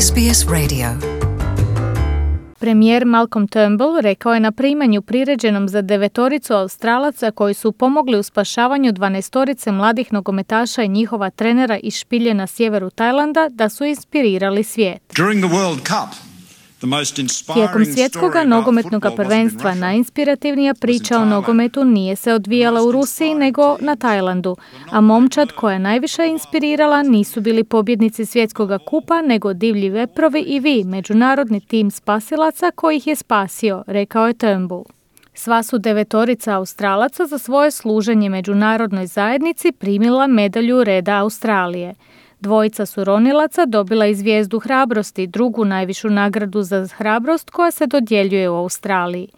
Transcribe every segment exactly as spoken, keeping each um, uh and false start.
S B S Radio. Premijer Malcolm Turnbull rekao je na primanju priređenom za devetoricu Australaca koji su pomogli u spašavanju dvanaestorice mladih nogometaša i njihova trenera iz špilje na sjeveru Tajlanda da su inspirirali svijet. During the World Cup, Tijekom svjetskog nogometnog prvenstva najinspirativnija priča o nogometu nije se odvijala u Rusiji nego na Tajlandu, a momčad koja je najviše inspirirala nisu bili pobjednici svjetskog kupa nego divlji veprovi i vi, međunarodni tim spasilaca koji ih je spasio, rekao je Turnbull. Sva su devetorica Australaca za svoje služenje međunarodnoj zajednici primila medalju Reda Australije. Dvojica su ronilaca dobila i zvijezdu hrabrosti, drugu najvišu nagradu za hrabrost koja se dodjeljuje u Australiji.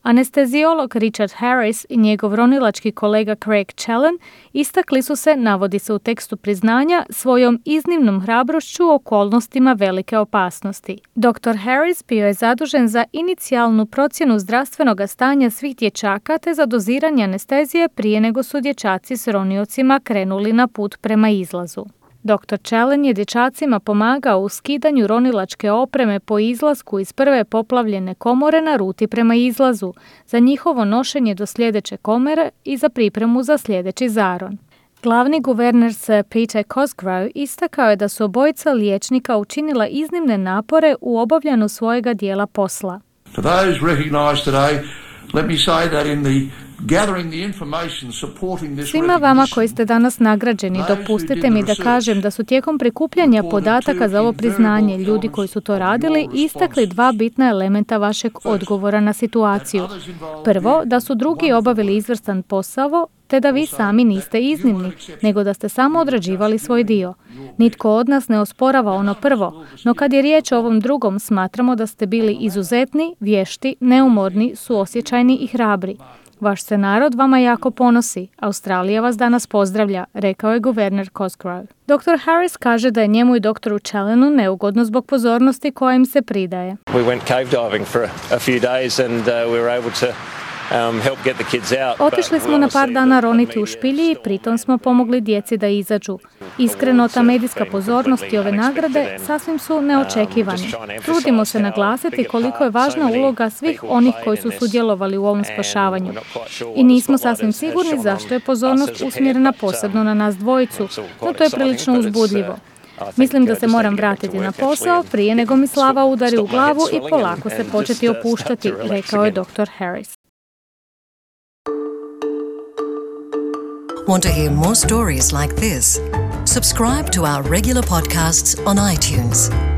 Anesteziolog Richard Harris i njegov ronilački kolega Craig Challen istakli su se, navodi se u tekstu priznanja, svojom iznimnom hrabrošću u okolnostima velike opasnosti. doktor Harris bio je zadužen za inicijalnu procjenu zdravstvenog stanja svih dječaka te za doziranje anestezije prije nego su dječaci s roniocima krenuli na put prema izlazu. doktor Challen je dječacima pomagao u skidanju ronilačke opreme po izlasku iz prve poplavljene komore na ruti prema izlazu, za njihovo nošenje do sljedeće komore i za pripremu za sljedeći zaron. Glavni guverner Sir Peter Cosgrove istakao je da su obojica liječnika učinila iznimne napore u obavljanju svojega dijela posla. For those recognized today, let me say that in the Svima vama koji ste danas nagrađeni, dopustite mi da kažem da su tijekom prikupljanja podataka za ovo priznanje ljudi koji su to radili istakli dva bitna elementa vašeg odgovora na situaciju. Prvo, da su drugi obavili izvrstan posao, te da vi sami niste iznimni, nego da ste samo odrađivali svoj dio. Nitko od nas ne osporava ono prvo, no kad je riječ o ovom drugom, smatramo da ste bili izuzetni, vješti, neumorni, suosjećajni i hrabri. Vaš se narod vama jako ponosi. Australija vas danas pozdravlja, rekao je guverner Cosgrove. doktor Harris kaže da je njemu i doktoru Challenu neugodno zbog pozornosti koja im se pridaje. We went cave diving for a few days and uh, we were able to Um, help get the kids out. Otišli smo na par dana roniti u špilji i pritom smo pomogli djeci da izađu. Iskreno, ta medijska pozornost i ove nagrade sasvim su neočekivani. Trudimo se naglasiti koliko je važna uloga svih onih koji su sudjelovali u ovom spašavanju. I nismo sasvim sigurni zašto je pozornost usmjerena posebno na nas dvojicu, no to je prilično uzbudljivo. Mislim da se moram vratiti na posao prije nego mi slava udari u glavu i polako se početi opuštati, rekao je doktor Harris. Want to hear more stories like this? Subscribe to our regular podcasts on iTunes.